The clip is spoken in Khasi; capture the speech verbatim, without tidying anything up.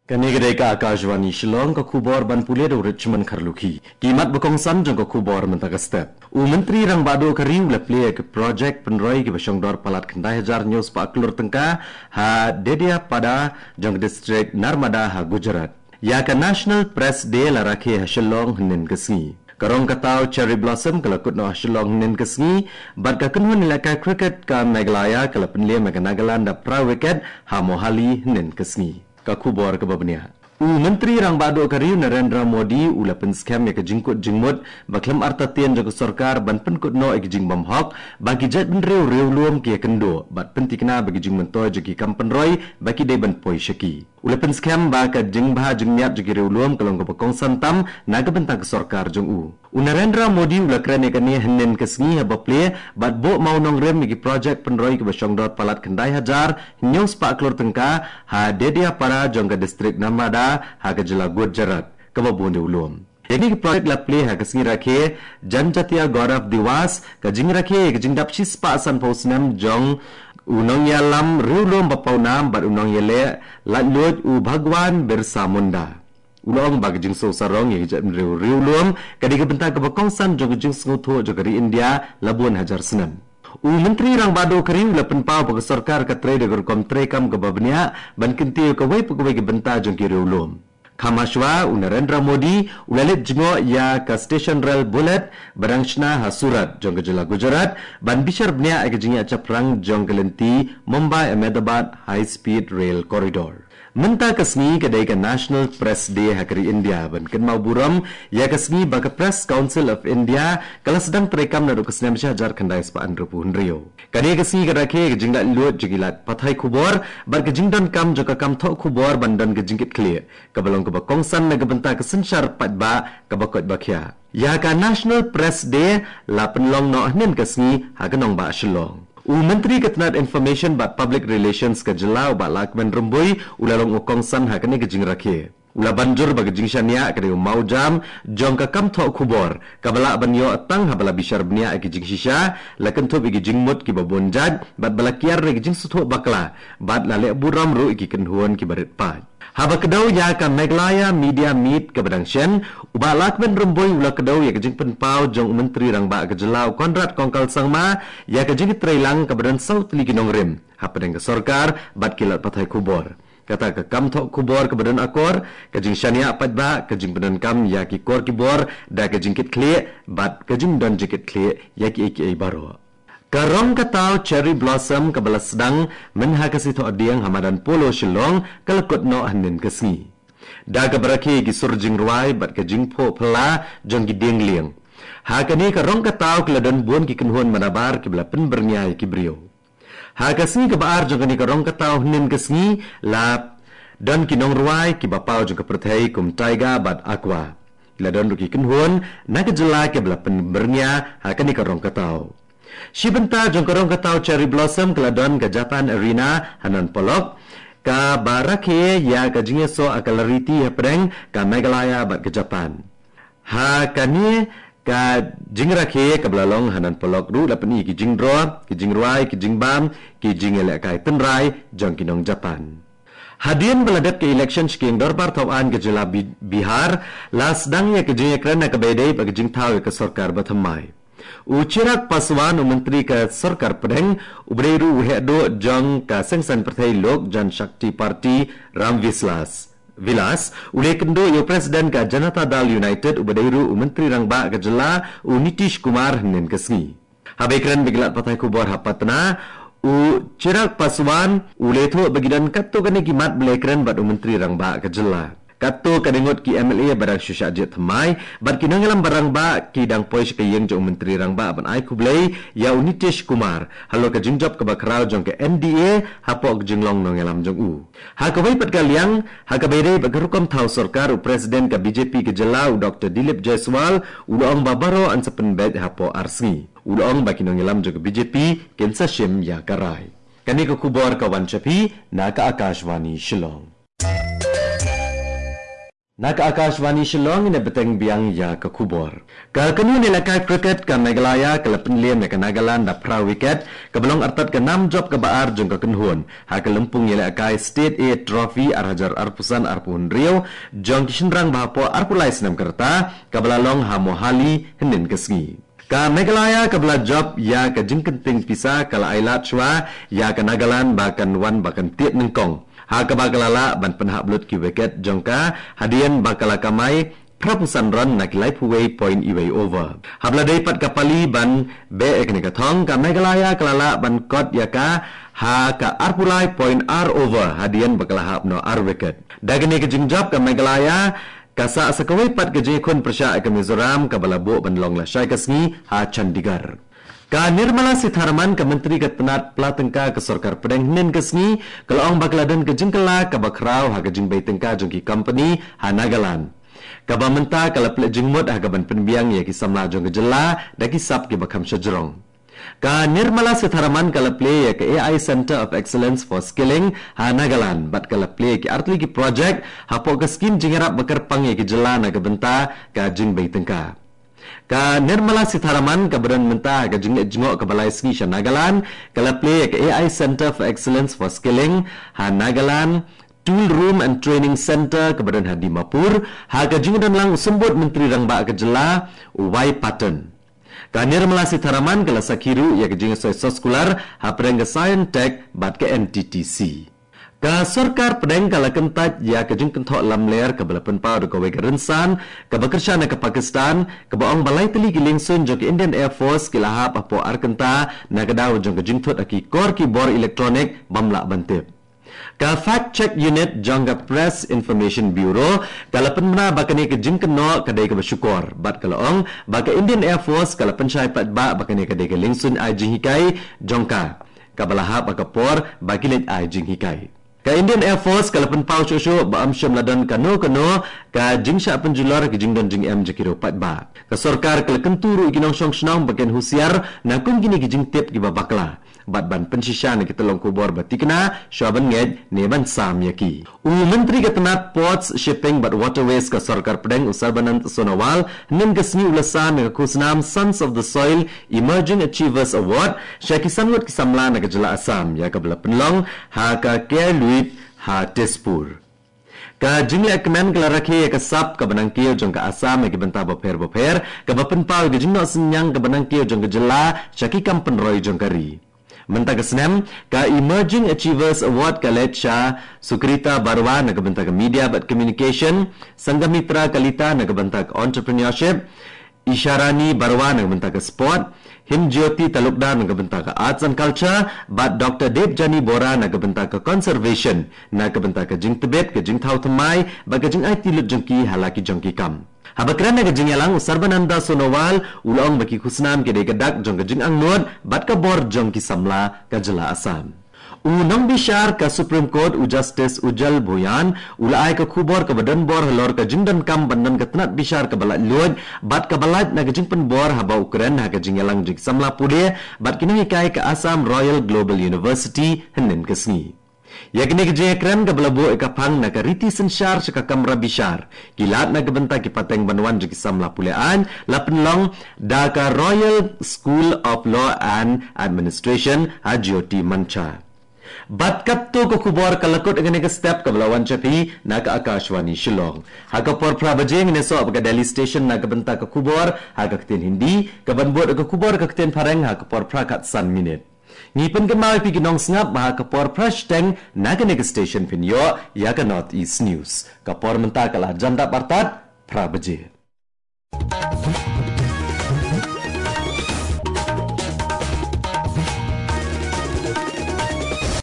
Kane ka dei ka Akashvani Shillong, ka khubor ban pule da u Richmond Kharlukhi. Ki mat ba kongsan jong ka khubor mynta ka step. U Myntri Rangbah Duh ka ri u la plie ïa ki projek pynroi kiba shongdor palat khyndai hajar hynñiew spah klur tyngka ha Dedeapada jong ka distrik Narmada ha Gujarat. Ïa ka National Press Day la rakhe ha Shillong hynnin ka sngi. Ka rong ka taw Cherry Blossom ka la kut noh ha Shillong hynnin ka sngi, bad ka kynhun ïalehkai cricket ka Meghalaya ka la pynliem ïa ka Nagaland da phra wicket ha Mohali hynnin ka sngi. Ka khubor kaba bniah. U Myntri Rangbah Duh ka ri u Narendra Modi u la pynskhem ïa ka jingkut jingmut ba khlem artatien jong ka sorkar ban pynkut noh ïa ki jingbymhok ba ki jaitbynriew riewlum ki ïakynduh bad pynthikna ba ki jingmyntoi jong ki kam pynroi ba ki dei ban poi sha ki. U la pynskhem ba ka jingbha jingmiat jong ki riewlum ka long kaba kongsan tam na ka bynta ka sorkar jong u. U Narendra Modi u la kren ïa kane hynnin ka sngi haba plie bad buh mawnongrim ïa ki projek pynroi kiba shongdor palat khyndai hajar hynñiew spah klur tyngka ha Dedeapada jong ka distrik Narmada ha ka jylla Gujarat kaba bun riewlum. Ïa kine ki projek la plie ha ka sngi rakhe Janjatiya Gaurav Diwas, ka jingrakhe ïa ka jingdap shispah sanphew snem jong u nongïalam riewlum ba pawnam bad u nongïaleh laitluid u Bhagwan Birsa Munda. U la ong ba ka jingsngewsarong ïa ka jaitbynriew riewlum ka dei ka bynta kaba kongsan jong ka jingsngewthuh jong ka ri India la bun hajar snem. U Myntri Rangbah Duh ka ri u la pynpaw ba ka sorkar ka trei da ka rukom treikam kaba bniah ban kyntiew ïa kawei pa kawei ka bynta jong ki riewlum. Kham hashwa u Narendra Modi u la leit jngoh ïa ka steshon rel bullet ba dang shna ha Surat jong ka jylla Gujarat ban bishar bniah ïa ka jingïashaphrang jong ka lynti Mumbai Ahmedabad High Speed Rail Corridor. Mynta ka sngi ka dei ka National Press Day ha ka ri India ban kynmaw burom ïa ka sngi ba ka Press Council of India ka la sdang treikam naduh ka snem shi hajar khyndai spah hynriewphew hynriew. Kane ka sngi ka rakhe ïa ka jinglaitluid jong ki lad pathai khubor bad ka jingdonkam jong ka kam thoh khubor ban don ka jingkitkhlieh kaba long kaba kongsan na ka bynta ka synshar paidbah kaba koit ba khiah. Ïa ka National Press Day la pynlong noh hynnin ka sngi ha ka nongbah Shillong. U Myntri ka tnat Information bad Public Relations ka jylla u Bah Lahkmen Rymbui u la long u kongsan ha kane ka jingrakhe. U la ban jur ba ka jingshaniah ka dei u mawjam jong ka kam thoh khubor kaba lah ban ïoh tang haba la bishar bniah ïa ki jingshisha, la kynthup ïa ki jingmut kiba bun jait bad ba la kiar da ki jingsngewthuh bakla bad la leh burom ruh ïa ki kynhun kiba rit paid. Haba kdew ïa ka Meghalaya Media Meet kaba dang shen, u Bah Lahkmen Rymbui u la kdew ïa ka jingpynpaw jong u Myntri Rangbah ka jylla u Conrad Kongkal Sangma ïa ka jingtreilang kaba don saw tylli ki nongrim hapdeng ka sorkar bad ki lad pathai khubor. Kata ka kam thoh khubor kaba don akor, ka jingshaniah paidbah, ka jingpyndonkam ïa ki kor ki bor da ka jingkitkhlieh bad ka jingdon jingkitkhlieh ïa kiei kiei baroh. Ka rong ka taw Cherry Blossom kaba la sdang mynha ka sngi Thohdieng ha madan Polo Shillong ka la kut noh hynnin ka sngi. Da kaba rakhe ïa ki sur jingrwai bad ka jingphuh phylla jong ki dieng lieng. Ha kane ka rong ka taw ki la don bun ki kynhun manabar kiba la pynbyrngia ïa ki briew. Ha ka sngi kaba ar jong kane ka rong ka taw hynnin ka sngi la don ki nongrwai kiba paw jong ka pyrthei kum Tyga bad Aqua. La don ruh ki kynhun na ka jylla kiba la pynbyrngia ha kane ka rong ka taw. Shi bynta jong ka rong ka taw Cherry Blossom ka la don ka Japan Arena ha Nan Polok, kaba rakhe ïa ka jingïasoh ha ka lariti hapdeng ka Meghalaya bad ka Japan. Ha kane ka jingrakhe kaba la long ha Nan Polok ruh la pyni ki jingdro, ki jingrwai, ki jingbam, ki jingïalehkai tynrai jong ki nong Japan. Hadien ba la dep ka election sha ki ïing dorbar thaw aiñ ka jylla Bi-, Bihar, la sdang ïa ka jingïakren ha kaba ïadei bad ka jingthaw ïa ka sorkar bathymmai. U Chirag Paswan, u Myntri ka Sorkar Pdeng, uba dei ruh u heh duh jong ka seng saiñ pyrthei Lok Jan Shakti Party, Ram Vislas, Vilas, u la ïakynduh ïa u President ka Janata Dal United, uba dei ruh u Myntri Rangbah ka jylla, u Nitish Kumar, hynnin ka sngi. Haba ïakren bad ki lad pathai khubor ha Patna, u Chirag Paswan u la ïathuh ba ki don katto katne ki mat ba la ïakren bad u Myntri Rangbah ka jylla. Katto katne ngut ki M L A ba dang shu shah jied thymmai bad ki nongïalam ba rangbah ki dang poi sha ka ïing jong u Myntri Rangbah ban ai khublei ïa u Nitish Kumar halor ka jingjop kaba khraw jong ka N D A hapoh ka jinglong nongïalam jong u. Ha kawei pat ka liang, ha kaba ïadei bad ka rukom thaw sorkar, u President ka B J P ka jylla, u Doctor Dilip Jaiswal, u la ong ba baroh yn sa pynbeit hapoh ar sngi. U la ong ba ki nongïalam jong ka B J P kin sa shim ïa ka rai. Kane ka khubor ka wan sha phi na ka Akashvani Shillong. Na ka Akashvani Shillong, ine bteng biang ïa ka khubor. Ka kynhun ïalehkai cricket ka Meghalaya ka la pynliem ïa ka Nagaland da phra wicket, kaba long artat ka nam jop kaba ar jong ka kynhun ha ka lympung ïalehkai State A Trophy ar hajar arphew san arphew hynriew jong ki shynrang ba hapoh arphew lai snem ka rta, kaba la long ha Mohali hynnin ka sngi. Ka Meghalaya kaba la jop ïa ka jingkynting pisa ka la ailad shuwa ïa ka Nagaland ba kan wan ba kan tied nyngkong, ha kaba ka la lah ban pynhap lut ki wicket jong ka hadien ba ka la kamai phraphew san run na ki laiphew wei point iwei over. Haba la dei pat ka pali ban beh ïa kane ka thong, ka Meghalaya ka la lah ban kot ïa ka ha ka arphew lai point ar over hadien ba ka la hap noh ar wicket. Da kane ka jingjop, ka Meghalaya ka sah sa kawei pat ka jingïakhun pyrshah ïa ka Mizoram kaba la buh ban long lashai ka sngi ha Chandigarh. Ka Nirmala Sitharaman, ka Myntri ka tnat pla tyngka ka Sorkar Pdeng, hynnin ka sngi ka la ong ba ka la don ka jingkylla kaba khraw ha ka jingbei tyngka jong ki kompani ha Nagaland, kaba mynta ka la plie jingmut ha kaban pynbiang ïa ki samla jong ka jylla da ki sap kiba kham shajrong. Ka Nirmala Sitharaman ka la plie ïa ka A I Centre of Excellence for Skilling ha Nagaland bad ka la plie ïa ki artylli ki projek hapoh ka skim jingïarap ba kyrpang ïa ka jylla na ka bynta ka jingbei tyngka. Ka Nirmala Sitharaman kaba don mynta ha ka jingleit jngoh kaba lai sngi sha Nagaland ka la plie ïa ka A I Centre for Excellence for Skilling ha Nagaland, Tool Room and Training Centre kaba don ha Dimapur, ha ka jingdon lang u Symbud Myntri Rangbah ka jylla, Y Patton. Ka Nirmala Sitharaman ka la sakhi ruh ïa ka jingsoi soskular hapdeng ka Scientech bad ka N T T C. Ka Sorkar Pdeng ka la kyntait ïa ka jingkynthoh lamler kaba la pynpaw da kawei ka rynsan kaba kyrshan na ka Pakistan, kaba ong ba lai tylli ki liengsuiñ jong ka Indian Air Force ki la hap hapoh ar kynta na ka daw jong ka jingthut ha ki kor ki bor electronic bym lah ban tip. Ka Fact Check Unit jong ka Press Information Bureau ka la pynbna ba kane ka jingkynnoh ka dei kaba shukor bad ka la ong ba ka Indian Air Force ka la pynshai paidbah ba kane ka dei ka liengsuiñ ai jinghikai jong ka, kaba la hap ha ka por ba ki leit ai jinghikai. Ka Indian Air Force ka la pynpaw shuh shuh ba ym shym la don kano kano ka jingshah pynjulor ha ka jingdon jingem jong ki riew paidbah. Ka sorkar ka la kyntu ruh ïa ki nongshong shnong ba kin husiar na kum kine ki jingtip kiba bakla bad ban pynshisha na ki tyllong khubor ba tikna shwa ban ngeit ne ban sam ïa ki. U Myntri ka tnat Ports, Shipping bad Waterways ka Sorkar Pdeng, u Sarbanand Sonowal, hynnin ka sngi u la sam ïa ka khusnam Sons of the Soil Emerging Achievers Award sha ki san ngut ki samla na ka jylla Assam, ïa kaba la pynlong ha ka Care Luit ha Tezpur. Ka jinglehkmen ka la rakhe ïa ka sap kaba nangkiew jong ka Assam ha ki bynta bapher bapher, kaba pynpaw ïa ka jingnoh synñiang kaba nangkiew jong ka jylla sha ki kam pynroi jong ka ri. Mynta ka snem, ka Emerging Achievers Award ka leit sha Sukrita Barua na ka bynta ka Media bad Communication, Sanghamitra Kalita na ka bynta ka Entrepreneurship, Isharani Barua na ka bynta ka Sport, Himjyoti Talukdar na ka bynta ka Arts and Culture, bad Doctor Debjani Bora na ka bynta ka Conservation, na ka bynta ka jingtbit, ka jingthaw thymmai bad ka jingaiti lut jong ki ha la ki jong ki kam. Haba kren ha ka jingïalang, u Sarbananda Sonowal u la ong ba ki khusnam ki dei ka dak jong ka jingangnud bad ka bor jong ki samla ka jylla Assam. U nongbishar ka Supreme Court, u Justice Ujjal Bhuyan, u la ai ka khubor kaba donbor halor ka jingdonkam ban don ka tnat bishar kaba laitluid bad kaba lait na ka jingpynbor, haba u kren ha ka jingïalang jong ki samla pule bad ki nonghikai ka Assam Royal Global University hynnin ka sngi. Ïa kane ka jingïakren kaba la buh ïa ka phang na ka riti synshar sha ka kamra bishar, ki lad na ka bynta ki pateng ban wan jong ki samla pule aiñ, la pynlong da ka Royal School of Law and Administration, ha Jyoti Mancha. Bad katto ka khubor ka la kut ha kane ka step kaba la wan sha phi na ka Akashvani Shillong. Ha ka por phra baje ngin ïasoh bad ka Delhi Station na ka bynta ka khubor ha ka ktien Hindi, kaban bud ka khubor ka ktien Phareng ha ka por phra khatsan minit. Ngi pynkynmaw ïa phi ki nongsngap ba ha ka por phra shiteng na kane ka station phin ïoh ïa ka North East News. Ka por mynta ka la jan dap artat phra baje.